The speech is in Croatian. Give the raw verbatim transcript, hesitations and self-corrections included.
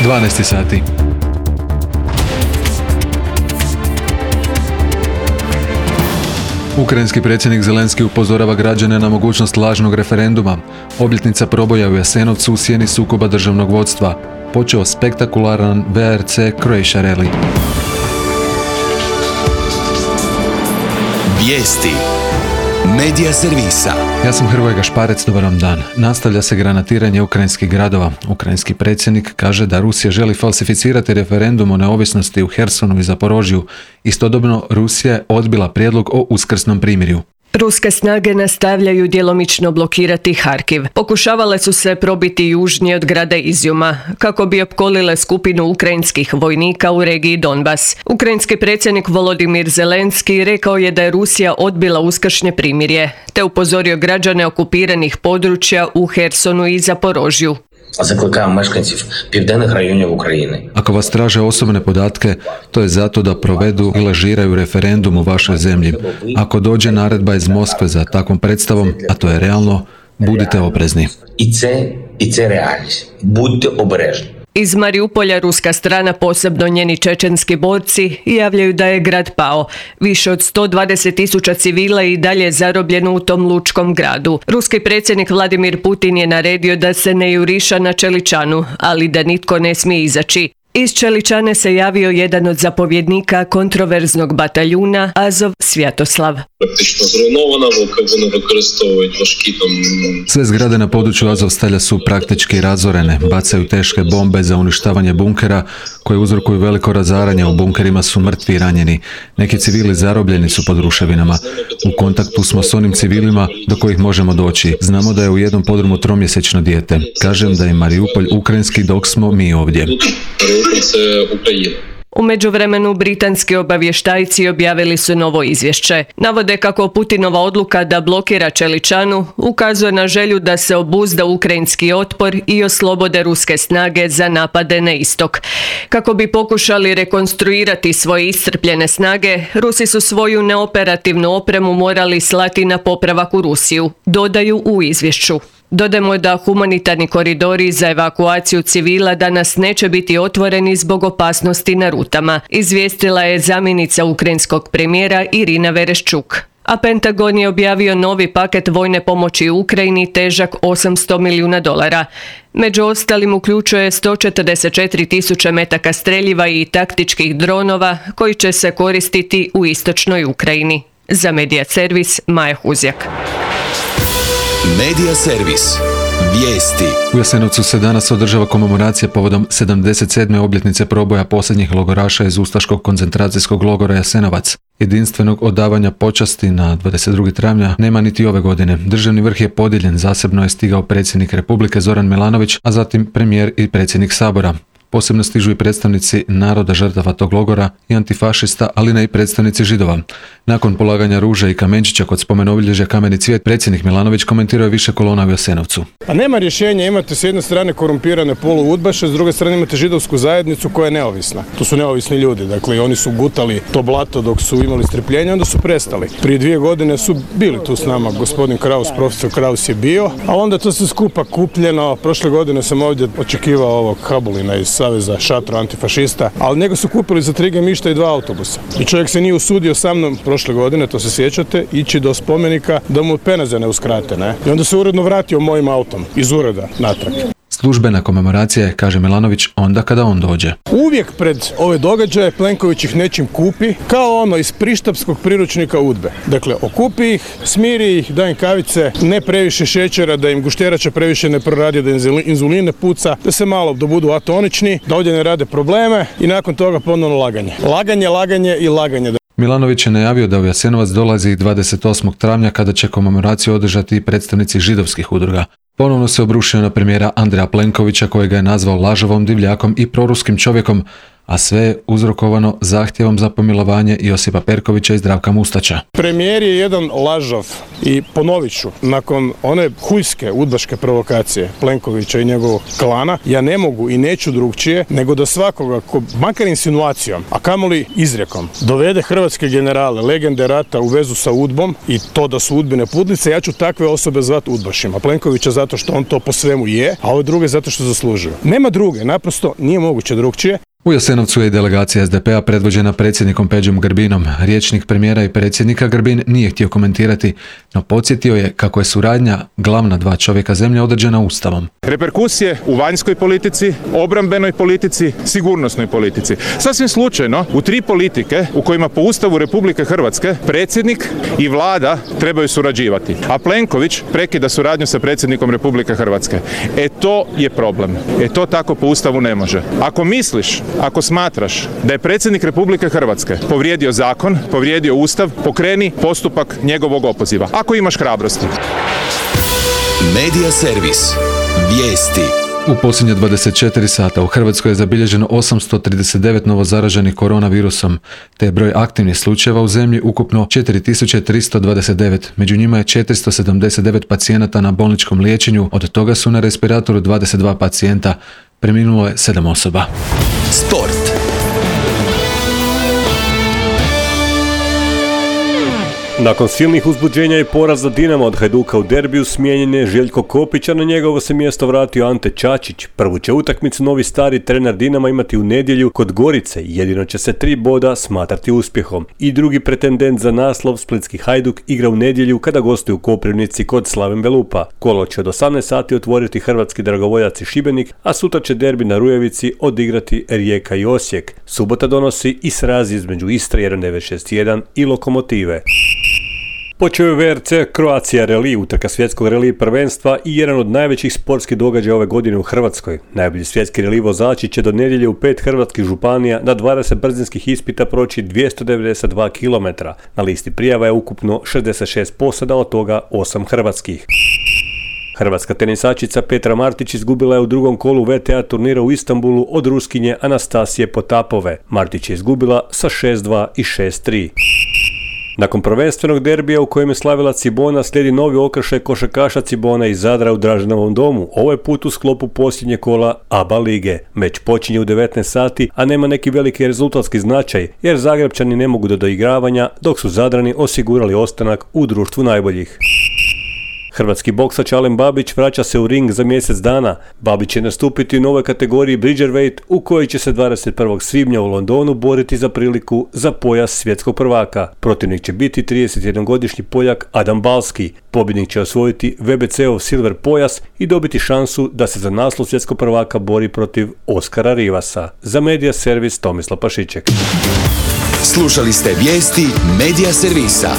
dvanaest sati. Ukrajinski predsjednik Zelenski upozorava građane na mogućnost lažnog referenduma. Obljetnica proboja u Jasenovcu u sjeni sukoba državnog vodstva. Počeo spektakularan V R C Croatia Rally. Vijesti Medija servisa. Ja sam Hrvoje Gašparec, dobar vam dan. Nastavlja se granatiranje ukrajinskih gradova. Ukrajinski predsjednik kaže da Rusija želi falsificirati referendum o neovisnosti u Hersonu i Zaporožju. Istodobno Rusija je odbila prijedlog o uskrsnom primirju. Ruske snage nastavljaju djelomično blokirati Harkiv. Pokušavale su se probiti južnije od grada Izjuma, kako bi opkolile skupinu ukrajinskih vojnika u regiji Donbas. Ukrajinski predsjednik Volodimir Zelenski rekao je da je Rusija odbila uskršnje primirje, te upozorio građane okupiranih područja u Hersonu i Zaporožju. Закликаємо мешканців південних районів України. Ako vas traže osobne podatke, to je zato da provedu i lažiraju referendum u vašoj zemlji. Ako dođe naredba iz Moskve za takvom predstavom, a to je realno, budite oprezni. І це, і це реальність. Будьте обережні. Iz Mariupolja ruska strana, posebno njeni čečenski borci, javljaju da je grad pao. Više od sto dvadeset tisuća civila i dalje je zarobljeno u tom lučkom gradu. Ruski predsjednik Vladimir Putin je naredio da se ne juriša na Čeličanu, ali da nitko ne smije izaći. Iz Čeličane se javio jedan od zapovjednika kontroverznog bataljuna Azov Svjatoslav. Практично зруйнована, вони використовують важкі там... Sve zgrade na području Azovstalja su praktički razorene, bacaju teške bombe za uništavanje bunkera koje uzrokuju veliko razaranje. U bunkerima su mrtvi i ranjeni. Neki civili zarobljeni su pod ruševinama. U kontaktu smo s onim civilima do kojih možemo doći. Znamo da je u jednom podrumu tromjesečno dijete. Kažem da je Mariupolj ukrajinski dok smo mi ovdje. U međuvremenu britanski obavještajci objavili su novo izvješće. Navode kako Putinova odluka da blokira Čeličanu ukazuje na želju da se obuzda ukrajinski otpor i oslobode ruske snage za napade na istok. Kako bi pokušali rekonstruirati svoje iscrpljene snage, Rusi su svoju neoperativnu opremu morali slati na popravak u Rusiju, dodaju u izvješću. Dodajmo da humanitarni koridori za evakuaciju civila danas neće biti otvoreni zbog opasnosti na rutama, izvijestila je zamjenica ukrajinskog premijera Irina Vereščuk. A Pentagon je objavio novi paket vojne pomoći Ukrajini težak osamsto milijuna dolara. Među ostalim uključuje sto četrdeset četiri tisuće metaka streljiva i taktičkih dronova koji će se koristiti u istočnoj Ukrajini. Za Medija servis Maja Huzjak. Medija servis. Vijesti. U Jasenovcu se danas održava komemoracija povodom sedamdeset sedme obljetnice proboja posljednjih logoraša iz ustaškog koncentracijskog logora Jasenovac. Jedinstvenog odavanja počasti na dvadeset drugog travnja nema niti ove godine. Državni vrh je podijeljen, zasebno je stigao predsjednik Republike Zoran Milanović, a zatim premijer i predsjednik Sabora. Posebno stižu i predstavnici naroda žrtava tog logora i antifašista, ali ne i predstavnici Židova. Nakon polaganja ruže i kamenčića kod spomenobilježja Kameni cvijet, predsjednik Milanović komentirao je više kolona u Jasenovcu. A nema rješenja, imate s jedne strane korumpirane poluudbaše, s druge strane imate židovsku zajednicu koja je neovisna. To su neovisni ljudi, dakle oni su gutali to blato dok su imali strpljenja, onda su prestali. Prije dvije godine su bili tu s nama, gospodin Kraus, profesor Kraus je bio, a onda to se skupa kupljeno. Prošle godine sam ovdje očekivao ovog Habulina iz Saveza šatro antifašista, ali njega su kupili za tri gemišta i dva autobusa. I čovjek se nije usudio sa mnom prošle godine, to se sjećate, ići do spomenika da mu peneze ne uskrate, ne? I onda se uredno vratio mojim autom iz ureda natrag. Službena komemoracija je, kaže Milanović, onda kada on dođe. Uvijek pred ove događaje Plenković ih nečim kupi, kao ono iz prištapskog priručnika udbe. Dakle, okupi ih, smiri ih, da im kavice, ne previše šećera, da im gušterača previše ne proradi, da im inzulin ne puca, da se malo da budu atonični, da ovdje ne rade probleme i nakon toga ponovno laganje. Laganje, laganje i laganje. Milanović je najavio da u Jasenovac dolazi dvadeset osmog travnja kada će komemoraciju održati i predstavnici židovskih udruga. Ponovno se obrušio na premijera Andreja Plenkovića, kojega je nazvao lažovom, divljakom i proruskim čovjekom, a sve je uzrokovano zahtjevom za pomilovanje Josipa Perkovića i Zdravka Mustača. Premijer je jedan lažov i ponovit ću, nakon one hujske udbaške provokacije Plenkovića i njegovog klana, ja ne mogu i neću drugčije nego da svakoga, ko, makar insinuacijom, a kamoli izrijekom, dovede hrvatske generale, legende rata u vezu sa udbom i to da su udbine pudlice, ja ću takve osobe zvati udbašima. Plenkovića zato zato što on to po svemu je, a ove druge zato što zaslužuju. Nema druge, naprosto nije moguće drugčije. U Jasenovcu je i delegacija es de pe a predvođena predsjednikom Peđom Grbinom. Rječnik premijera i predsjednika Grbin nije htio komentirati, no podsjetio je kako je suradnja glavna dva čovjeka zemlje određena Ustavom. Reperkusije u vanjskoj politici, obrambenoj politici, sigurnosnoj politici. Sasvim slučajno, u tri politike u kojima po Ustavu Republike Hrvatske predsjednik i vlada trebaju surađivati, a Plenković prekida suradnju sa predsjednikom Republike Hrvatske. E to je problem. E to tako po Ustavu ne može. Ako misliš, ako smatraš da je predsjednik Republike Hrvatske povrijedio zakon, povrijedio Ustav, pokreni postupak njegovog opoziva. Ako imaš hrabrosti. Medija servis. Vijesti. U posljednje dvadeset četiri sata u Hrvatskoj je zabilježeno osamsto trideset devet novozaraženih koronavirusom, te je broj aktivnih slučajeva u zemlji ukupno četiri tisuće tristo dvadeset devet. Među njima je četiristo sedamdeset devet pacijenata na bolničkom liječenju, od toga su na respiratoru dvadeset dva pacijenta. Preminulo je sedam osoba. Sport. Nakon silnih uzbuđenja i poraza Dinama od Hajduka u derbiju smijenjen je Željko Kopić, a na njegovo se mjesto vratio Ante Čačić. Prvu će utakmicu novi stari trener Dinama imati u nedjelju kod Gorice, jedino će se tri boda smatrati uspjehom. I drugi pretendent za naslov, splitski Hajduk, igra u nedjelju kada gostuje u Koprivnici kod Slaven Belupa. Kolo će od osamnaest sati otvoriti hrvatski dragovoljac i Šibenik, a sutra će derbi na Rujevici odigrati Rijeka i Osijek. Subota donosi i sraz između Istre jedan devet šest jedan i Lokomotive. Počeo je ve er ce Croatia Rally, utrka svjetskog rally prvenstva i jedan od najvećih sportskih događaja ove godine u Hrvatskoj. Najbolji svjetski rally vozači će do nedjelje u pet hrvatskih županija na dvadeset brzinskih ispita proći dvjesto devedeset dva kilometra. Na listi prijava je ukupno šezdeset šest posada, od toga osam hrvatskih. Hrvatska tenisačica Petra Martić izgubila je u drugom kolu ve te a turnira u Istanbulu od Ruskinje Anastasije Potapove. Martić je izgubila sa šest dva i šest tri. Nakon prvenstvenog derbija u kojem je slavila Cibona, slijedi novi okršaj košarkaša Cibona iz Zadra u Draženovom domu, ovaj put u sklopu posljednje kola a ba lige. Meč počinje u devetnaest sati, a nema neki veliki rezultatski značaj, jer Zagrebčani ne mogu do doigravanja, dok su Zadrani osigurali ostanak u društvu najboljih. Hrvatski boksač Alen Babić vraća se u ring za mjesec dana. Babić će nastupiti u novoj kategoriji Bridgerweight, u kojoj će se dvadeset prvog svibnja u Londonu boriti za priliku za pojas svjetskog prvaka. Protivnik će biti tridesetjednogodišnji Poljak Adam Balski. Pobjednik će osvojiti ve be ce-ov silver pojas i dobiti šansu da se za naslov svjetskog prvaka bori protiv Oskara Rivasa. Za Medija servis Tomislav Pašiček. Slušali ste vijesti Medija servisa.